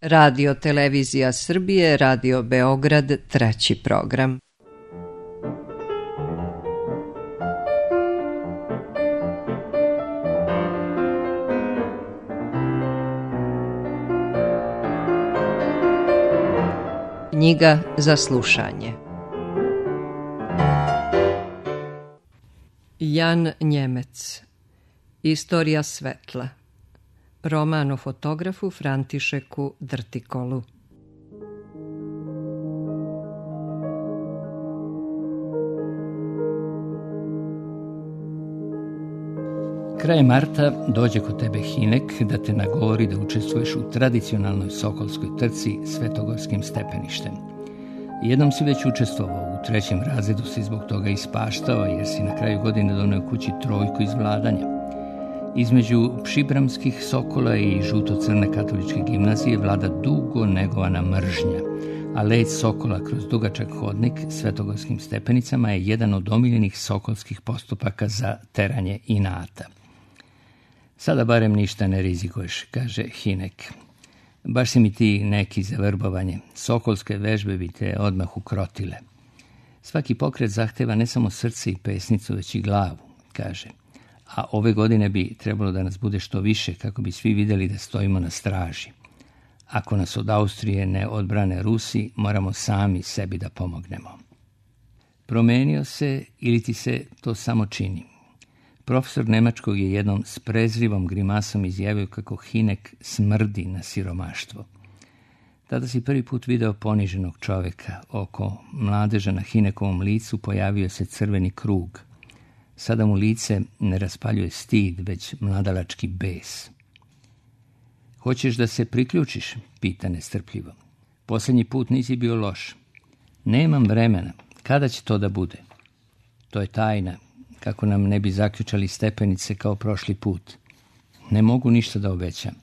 Radio Televizija Srbije, Radio Beograd, 3. program. Knjiga za slušanje. Jan Njemec. Istorija svetla. Roman o fotografu Františeku Drtikolu. Krajem marta dođe kod tebe Hinek da te nagovori da učestvuješ u tradicionalnoj sokolskoj trci Svetogorskim stepeništem. Jednom si već učestvovao, u 3. razredu si zbog toga ispaštao jer si na kraju godine doneo kući 3 iz vladanja. Između pšibramskih sokola i žuto-crne katoličke gimnazije vlada dugo negovana mržnja, a let sokola kroz dugačak hodnik Svetogorskim stepenicama je jedan od omiljenih sokolskih postupaka za teranje inata. Sada barem ništa ne rizikuješ, kaže Hinek. Baš si mi ti neki za vrbovanje. Sokolske vežbe bi te odmah ukrotile. Svaki pokret zahteva ne samo srce i pesnicu, već i glavu, kaže. A ove godine bi trebalo da nas bude što više kako bi svi vidjeli da stojimo na straži. Ako nas od Austrije ne odbrane Rusi, moramo sami sebi da pomognemo. Promenio se ili ti se to samo čini? Profesor nemačkog je jednom s prezrivom grimasom izjavio kako Hinek smrdi na siromaštvo. Tada si prvi put video poniženog čovjeka. Oko mladeža na Hinekovom licu pojavio se crveni krug. Sada mu lice ne raspaljuje stid, već mladalački bes. Hoćeš da se priključiš? Pita nestrpljivo. Posljednji put nisi bio loš. Nemam vremena. Kada će to da bude? To je tajna. Kako nam ne bi zaključali stepenice kao prošli put. Ne mogu ništa da obećam.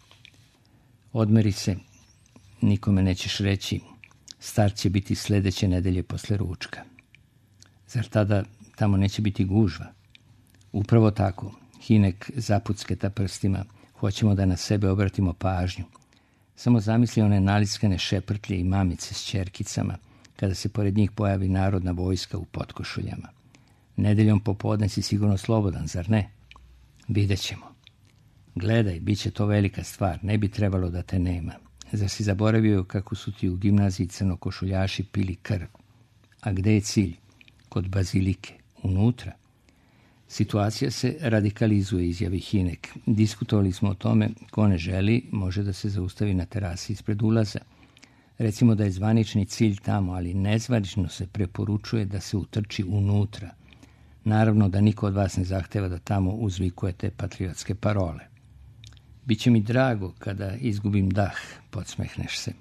Odmeri se. Nikome nećeš reći. Start će biti sljedeće nedelje posle ručka. Zar tada tamo neće biti gužva? Upravo tako. Hinek zapucketa prstima. Hoćemo da na sebe obratimo pažnju. Samo zamisli one nalickane šeprtlje i mamice s ćerkicama, kada se pored njih pojavi narodna vojska u potkošuljama. Nedeljom popodne si sigurno slobodan, zar ne? Vidjet ćemo. Gledaj, bit će to velika stvar, ne bi trebalo da te nema. Zar si zaboravio kako su ti u gimnaziji crnokošuljaši pili krv? A gde je cilj? Kod bazilike, unutra. Situacija se radikalizuje, izjavi Hinek. Diskutovali smo o tome, ko ne želi, može da se zaustavi na terasi ispred ulaza. Recimo da je zvanični cilj tamo, ali nezvanično se preporučuje da se utrči unutra. Naravno da niko od vas ne zahteva da tamo uzvikujete patriotske parole. Biće mi drago kada izgubim dah, podsmehneš se.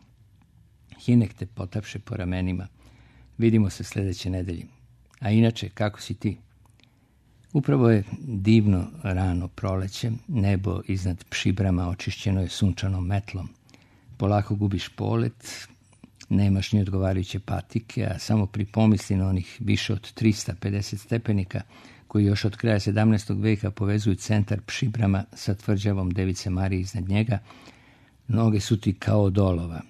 Hinek te potapše po ramenima. Vidimo se sljedeće nedelje. A inače, kako si ti? Upravo je divno rano proleće, nebo iznad Pšibrama očišćeno je sunčanom metlom. Polako gubiš polet, nemaš ni odgovarajuće patike, a samo pri pomisli na onih više od 350 stepenika koji još od kraja 17. veka povezuju centar Pšibrama sa tvrđavom Device Marije iznad njega, noge su ti kao dolova.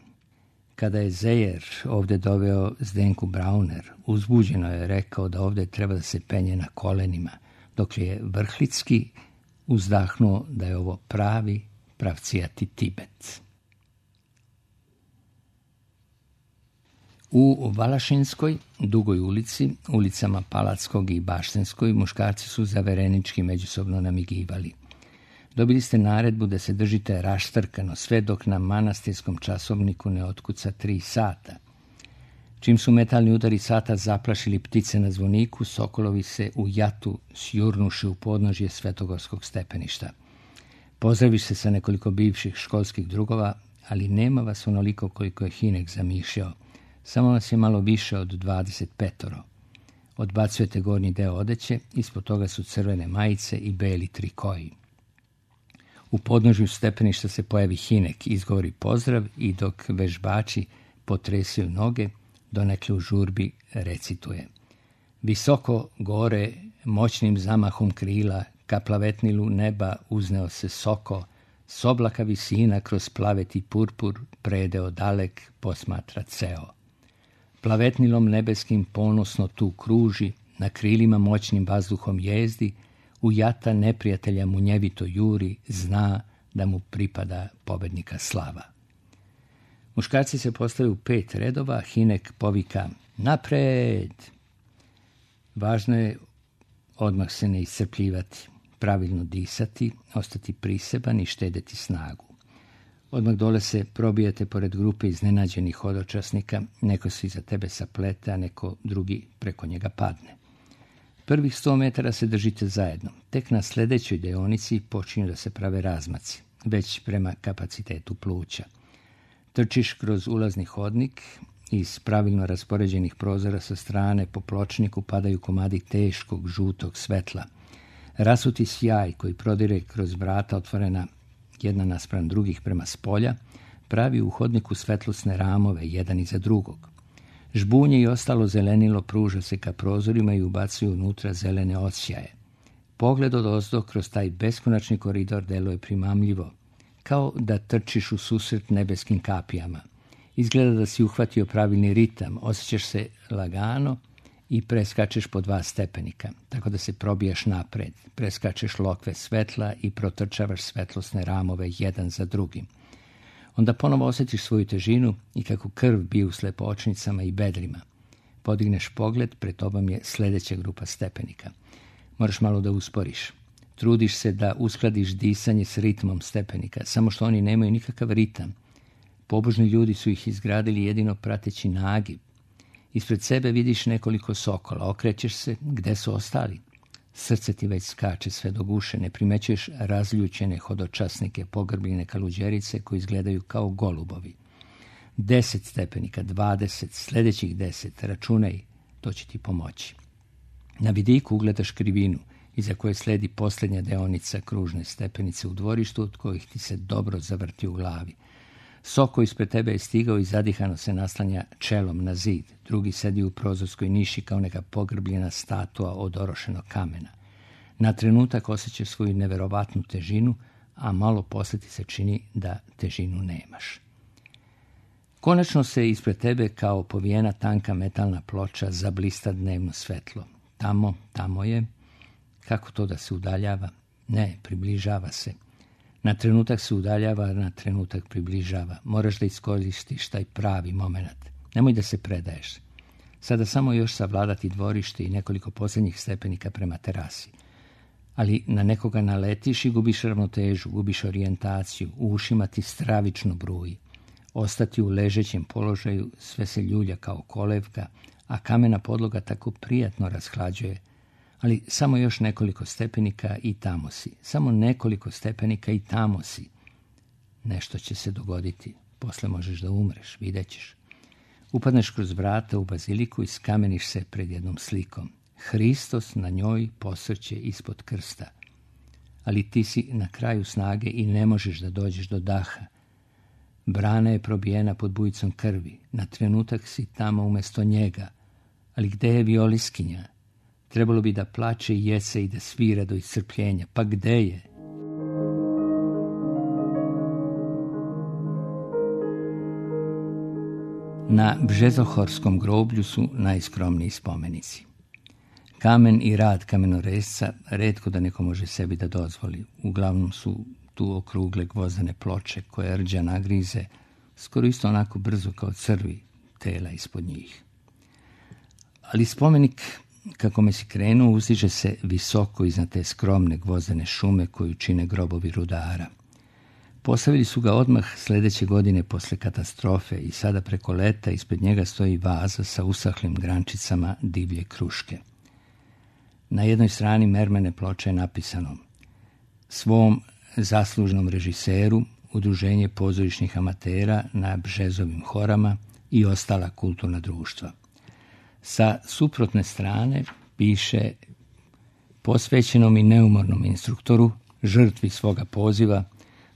Kada je Zejer ovdje doveo Zdenku Brauner, uzbuđeno je rekao da ovdje treba da se penje na kolenima, dok je Vrhlicki uzdahnuo da je ovo pravi pravcijati Tibet. U Valašinskoj, dugoj ulici, ulicama Palatskog i Baštenskoj, muškarci su zaverenički međusobno namigivali. Dobili ste naredbu da se držite raštrkano sve dok na manastirskom časovniku ne otkuca 3 sata. Čim su metalni udari sata zaplašili ptice na zvoniku, sokolovi se u jatu sjurnuši u podnožje Svetogorskog stepeništa. Pozdraviš se sa nekoliko bivših školskih drugova, ali nema vas onoliko koliko je Hinek zamišljao. Samo vas je malo više od 25. Odbacujete gornji deo odeće, ispod toga su crvene majice i beli trikoji. U podnožju stepeništa se pojavi Hinek, izgovori pozdrav i dok vežbači potresaju noge, donekle u žurbi recituje. Visoko gore, moćnim zamahom krila, ka plavetnilu neba uzneo se soko, S oblaka visina kroz plaveti purpur predeo dalek posmatra ceo. Plavetnilom nebeskim ponosno tu kruži, na krilima moćnim vazduhom jezdi, u jata neprijatelja munjevito juri, zna da mu pripada pobednika slava. Muškarci se postave u 5 redova, Hinek povika napred. Važno je odmah se ne iscrpljivati, pravilno disati, ostati priseban i štedeti snagu. Odmah dole se probijate pored grupe iznenađenih hodočasnika, neko se iza tebe saplete, a neko drugi preko njega padne. Prvih 100 metara se držite zajedno. Tek na sljedećoj deonici počinju da se prave razmaci, već prema kapacitetu pluća. Trčiš kroz ulazni hodnik, iz pravilno raspoređenih prozora sa strane po pločniku padaju komadi teškog, žutog svetla. Rasuti sjaj koji prodire kroz vrata otvorena jedna naspram drugih prema spolja, pravi u hodniku svetlosne ramove, jedan iza drugog. Žbunje i ostalo zelenilo pruža se ka prozorima i ubacuju unutra zelene odsjaje. Pogled odozdo kroz taj beskonačni koridor deluje primamljivo, kao da trčiš u susret nebeskim kapijama. Izgleda da si uhvatio pravilni ritam, osjećaš se lagano i preskačeš po 2 stepenika, tako da se probijaš napred, preskačeš lokve svetla i protrčavaš svetlosne ramove jedan za drugim. Onda ponovo osjetiš svoju težinu i kako krv bije u slepočnicama i bedrima. Podigneš pogled, pred tobom je sljedeća grupa stepenika. Moraš malo da usporiš. Trudiš se da uskladiš disanje s ritmom stepenika, samo što oni nemaju nikakav ritam. Pobožni ljudi su ih izgradili jedino prateći nagib. Ispred sebe vidiš nekoliko sokola, okrećeš se, gde su ostali? Srce ti već skače sve do guše, ne primećuješ razljučene hodočasnike, pogrbljene kaluđerice koji izgledaju kao golubovi. 10 stepenika, 20, sljedećih 10, računaj, to će ti pomoći. Na vidiku ugledaš krivinu, iza koje sledi posljednja deonica kružne stepenice u dvorištu, od kojih ti se dobro zavrti u glavi. Soko ispred tebe je stigao i zadihano se naslanja čelom na zid. Drugi sedi u prozorskoj niši kao neka pogrbljena statua od orošenog kamena. Na trenutak osjećaš svoju neverovatnu težinu, a malo posle ti se čini da težinu nemaš. Konačno se ispred tebe kao povijena tanka metalna ploča zablista dnevno svetlo. Tamo je. Kako to da se udaljava? Ne, približava se. Na trenutak se udaljava, na trenutak približava. Moraš da iskoristiš taj pravi moment. Nemoj da se predaješ. Sada samo još savladati dvorište i nekoliko posljednjih stepenika prema terasi. Ali na nekoga naletiš i gubiš ravnotežu, gubiš orijentaciju, u ušima ti stravično bruji. Ostati u ležećem položaju sve se ljulja kao kolevka, a kamena podloga tako prijatno rashlađuje. Ali samo još nekoliko stepenika i tamo si. Samo nekoliko stepenika i tamo si. Nešto će se dogoditi. Posle možeš da umreš, vidjet ćeš. Upadneš kroz vrata u baziliku i skameniš se pred jednom slikom. Hristos na njoj posrće ispod krsta. Ali ti si na kraju snage i ne možeš da dođeš do daha. Brana je probijena pod bujicom krvi. Na trenutak si tamo umjesto njega. Ali gde je violiskinja? Trebalo bi da plače i jece i da svira do iscrpljenja. Pa gde je? Na Bžezohorskom groblju su najskromniji spomenici. Kamen i rad kamenoresca retko da neko može sebi da dozvoli. Uglavnom su tu okrugle gvozdene ploče koje rđa nagrize, skoro isto onako brzo kao crvi tela ispod njih. Ali spomenik, kako me si krenuo, uzdiže se visoko iznad te skromne gvozdene šume koju čine grobovi rudara. Postavili su ga odmah sljedeće godine posle katastrofe i sada preko leta ispred njega stoji vaza sa usahlim grančicama divlje kruške. Na jednoj strani mermene ploče je napisano: svom zaslužnom režiseru, Udruženje pozorišnih amatera na Bžezovim horama i ostala kulturna društva. Sa suprotne strane piše: posvećenom i neumornom instruktoru, žrtvi svoga poziva,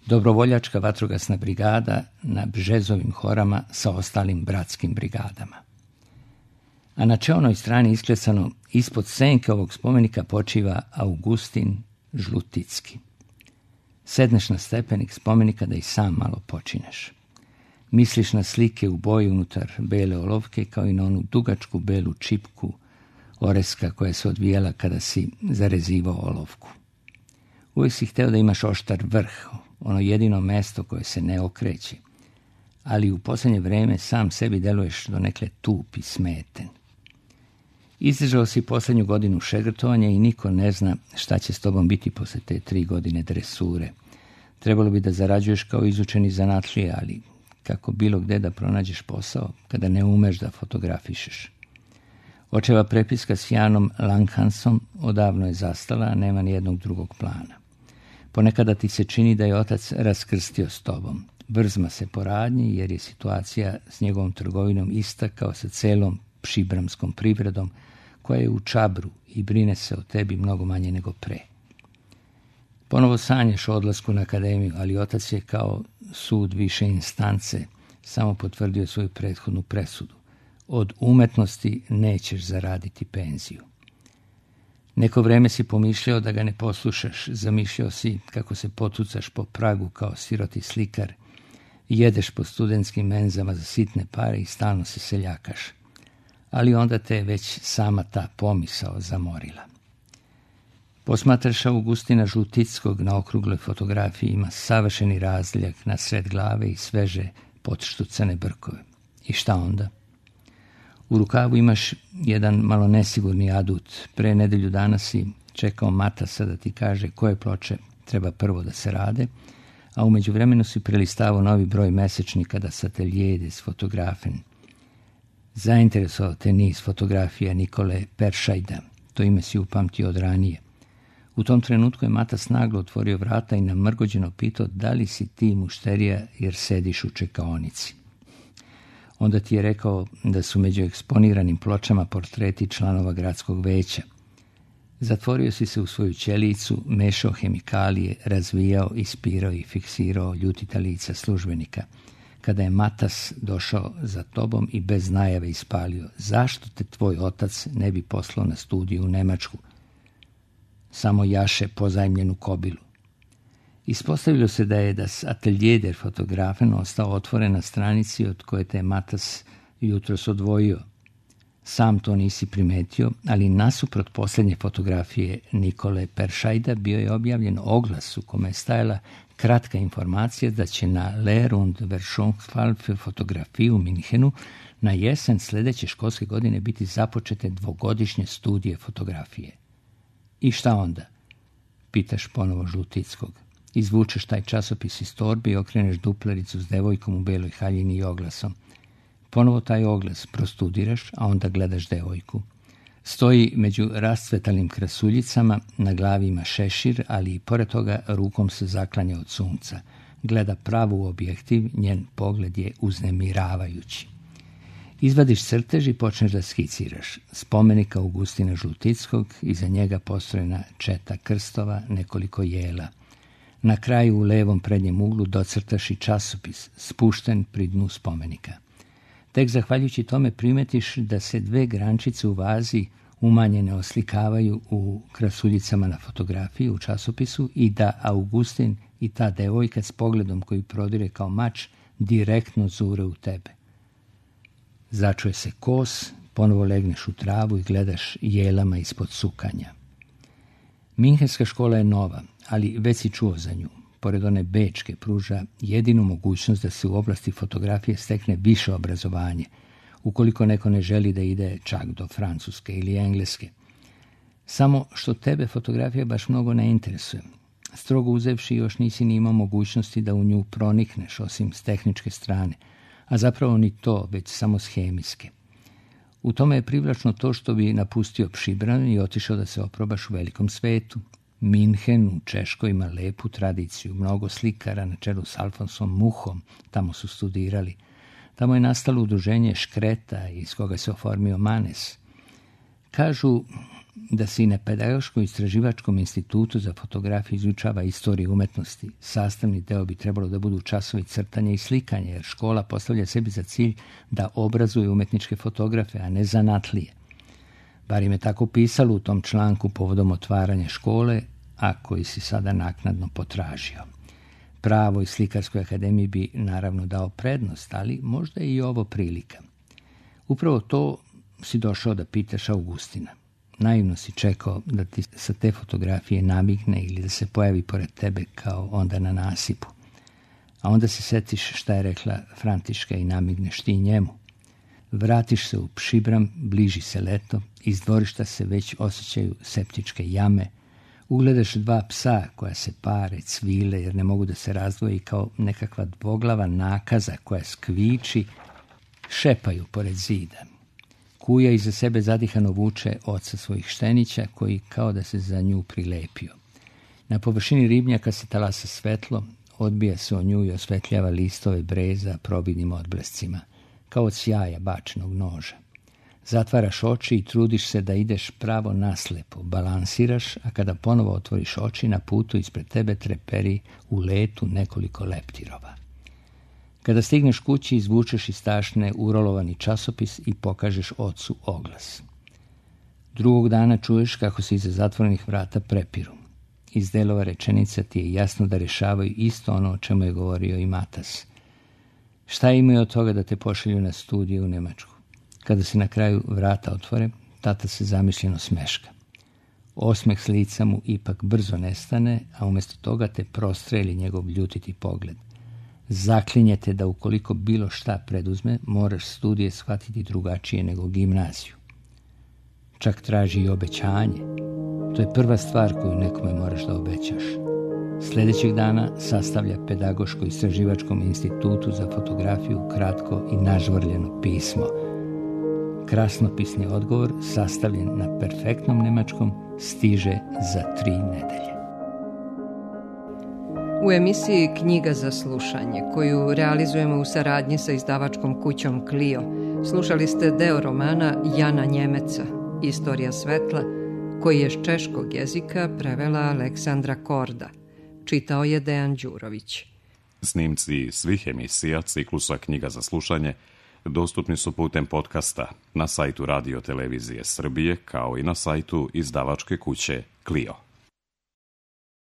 dobrovoljačka vatrogasna brigada na Bžezovim horama sa ostalim bratskim brigadama. A na čelnoj strani isklesano: ispod senke ovog spomenika počiva Augustin Žluticki. Sedneš na stepenik spomenika da i sam malo počineš. Misliš na slike u boji unutar bele olovke, kao i na onu dugačku belu čipku oreska koja se odvijala kada si zarezivao olovku. Uvijek si hteo da imaš oštar vrh, ono jedino mesto koje se ne okreće, ali u posljednje vreme sam sebi deluješ donekle tup i smeten. Izdržao si posljednju godinu šegrtovanja i niko ne zna šta će s tobom biti posle te 3 godine dresure. Trebalo bi da zarađuješ kao izučeni zanatlije, ali kako bilo gde da pronađeš posao kada ne umeš da fotografišeš. Očeva prepiska s Janom Langhansom odavno je zastala, a nema ni jednog drugog plana. Ponekada ti se čini da je otac raskrstio s tobom. Brzma se po radnji jer je situacija s njegovom trgovinom ista kao sa celom šibramskom privredom koja je u čabru i brine se o tebi mnogo manje nego pre. Ponovo sanjaš o odlasku na akademiju, ali otac je kao sud više instance samo potvrdio svoju prethodnu presudu. Od umetnosti nećeš zaraditi penziju. Neko vreme si pomišljao da ga ne poslušaš, zamišljao si kako se potucaš po pragu kao siroti slikar, jedeš po studentskim menzama za sitne pare i stalno se seljakaš. Ali onda te već sama ta pomisao zamorila. Posmatraš Augustina Žlutickog na okrugloj fotografiji, ima savršeni razdeljak na sred glave i sveže potštucane brkove. I šta onda? U rukavu imaš jedan malo nesigurni adut. Pre nedelju dana si čekao Matasa da ti kaže koje ploče treba prvo da se rade, a u međuvremenu si prelistavao novi broj mesečnika da Sateljede s fotografen. Zainteresovao te niz fotografija Nikole Peršajda. To ime si upamtio od ranije. U tom trenutku je Matas naglo otvorio vrata i namrgođeno pitao da li si ti mušterija jer sediš u čekaonici. Onda ti je rekao da su među eksponiranim pločama portreti članova gradskog veća. Zatvorio si se u svoju ćelijicu, mešao hemikalije, razvijao, ispirao i fiksirao ljutita lica službenika. Kada je Matas došao za tobom i bez najave ispalio, zašto te tvoj otac ne bi poslao na studiju u Nemačku? Samo jaše pozajmljenu kobilu. Ispostavilo se da je das Atelier der Fotografen ostao otvoren na stranici od koje te Matas jutros odvojio. Sam to nisi primetio, ali nasuprot posljednje fotografije Nikole Peršajda bio je objavljen oglas u kome je stajala kratka informacija da će na Lehr und Verschauungsfall für Fotografie u Minhenu na jesen sljedeće školske godine biti započete 2-godišnje studije fotografije. I šta onda? Pitaš ponovo Žlutickog. Izvučeš taj časopis iz torbe i okreneš duplericu s devojkom u beloj haljini i oglasom. Ponovo taj oglas prostudiraš, a onda gledaš devojku. Stoji među rascvetalim krasuljicama, na glavi ima šešir, ali i pored toga rukom se zaklanja od sunca. Gleda pravo u objektiv, njen pogled je uznemiravajući. Izvadiš crtež i počneš da skiciraš. Spomenik Augustina Žlutickog, iza njega postrojena četa krstova, nekoliko jela. Na kraju u levom prednjem uglu docrtaš i časopis, spušten pri dnu spomenika. Tek zahvaljujući tome primetiš da se 2 grančice u vazi umanjene oslikavaju u krasuljicama na fotografiji u časopisu i da Augustin i ta devojka s pogledom koji prodire kao mač direktno zure u tebe. Začuje se kos, ponovo legneš u travu i gledaš jelama ispod sukanja. Minhenska škola je nova, ali već si čuo za nju. Pored one bečke pruža jedinu mogućnost da se u oblasti fotografije stekne više obrazovanje, ukoliko neko ne želi da ide čak do Francuske ili Engleske. Samo što tebe fotografija baš mnogo ne interesuje. Strogo uzevši još nisi ni imao mogućnosti da u nju pronikneš osim s tehničke strane, a zapravo ni to, već samo s hemijske. U tome je privlačno to što bi napustio Pšibran i otišao da se oprobaš u velikom svetu. Minhen u Češkoj ima lepu tradiciju, mnogo slikara na čelu s Alfonsom Muhom tamo su studirali. Tamo je nastalo udruženje Škreta iz koga se oformio Manes. Kažu da se i na Pedagoško-istraživačkom institutu za fotografiju izučava istoriju umetnosti. Sastavni deo bi trebalo da budu časovi crtanja i slikanja, jer škola postavlja sebi za cilj da obrazuje umetničke fotografe, a ne zanatlije. Bar im je tako pisalo u tom članku povodom otvaranja škole, a koji si sada naknadno potražio. Pravoj slikarskoj akademiji bi naravno dao prednost, ali možda je i ovo prilika. Upravo to si došao da pitaš Augustina. Naivno si čekao da ti sa te fotografije namigne ili da se pojavi pored tebe kao onda na nasipu. A onda se setiš šta je rekla Františka i namigneš ti njemu. Vratiš se u Pšibram, bliži se leto, iz dvorišta se već osjećaju septičke jame, ugledaš 2 psa koja se pare, cvile jer ne mogu da se razdvoji kao nekakva dvoglava nakaza koja skviči, šepaju pored zida. Kuja iza sebe zadihano vuče oca svojih štenića koji kao da se za nju prilepio. Na površini ribnjaka se talasa svetlo, odbija se o nju i osvetljava listove breza probidnim odblescima, kao od sjaja bačenog noža. Zatvaraš oči i trudiš se da ideš pravo naslepo, balansiraš, a kada ponovo otvoriš oči, na putu ispred tebe treperi u letu nekoliko leptirova. Kada stigneš kući, izvučeš iz tašne urolovani časopis i pokažeš ocu oglas. Drugog dana čuješ kako se iza zatvorenih vrata prepiru. Iz delova rečenica ti je jasno da rešavaju isto ono o čemu je govorio i Matas. Šta imaju od toga da te pošalju na studije u Nemačku? Kada se na kraju vrata otvore, tata se zamišljeno smeška. Osmeh s lica mu ipak brzo nestane, a umjesto toga te prostreli njegov ljutiti pogled. Zaklinjete da ukoliko bilo šta preduzme, moraš studije shvatiti drugačije nego gimnaziju. Čak traži i obećanje. To je prva stvar koju nekome moraš da obećaš. Sljedećeg dana sastavlja Pedagoško-istraživačkom institutu za fotografiju kratko i nažvrljeno pismo. Krasnopisni odgovor, sastavljen na perfektnom nemačkom, stiže za 3 nedelje. U emisiji Knjiga za slušanje, koju realizujemo u saradnji sa izdavačkom kućom Clio, slušali ste deo romana Jana Njemeca, Istorija svetla, koji je s češkog jezika prevela Aleksandra Korda. Čitao je Dejan Đurović. Snimci svih emisija ciklusa Knjiga za slušanje dostupni su putem podcasta na sajtu Radio Televizije Srbije kao i na sajtu izdavačke kuće Clio.